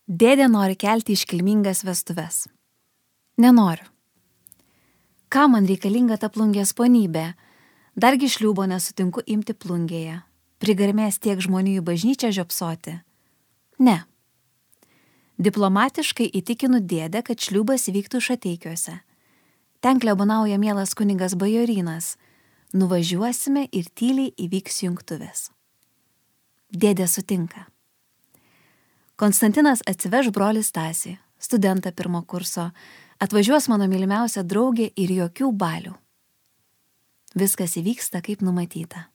Dėdė nori kelti iškilmingas vestuves. Nenoriu. Ką man reikalinga ta plungės ponybė? Dargi šliūbo nesutinku imti plungėje. Prigarmės tiek žmonių į bažnyčią žiopsoti. Ne. Diplomatiškai įtikinu dėdę, kad šliūbas įvyktų Šateikiuose. Ten klebonauja mielas kunigas Bajorynas. Nuvažiuosime ir tyliai įvyks jungtuvės. Dėdė sutinka. Konstantinas atsiveš brolį Stasį, studentą 1 kurso, atvažiuos mano mylimiausia draugė ir jokių balių. Viskas įvyksta kaip numatyta.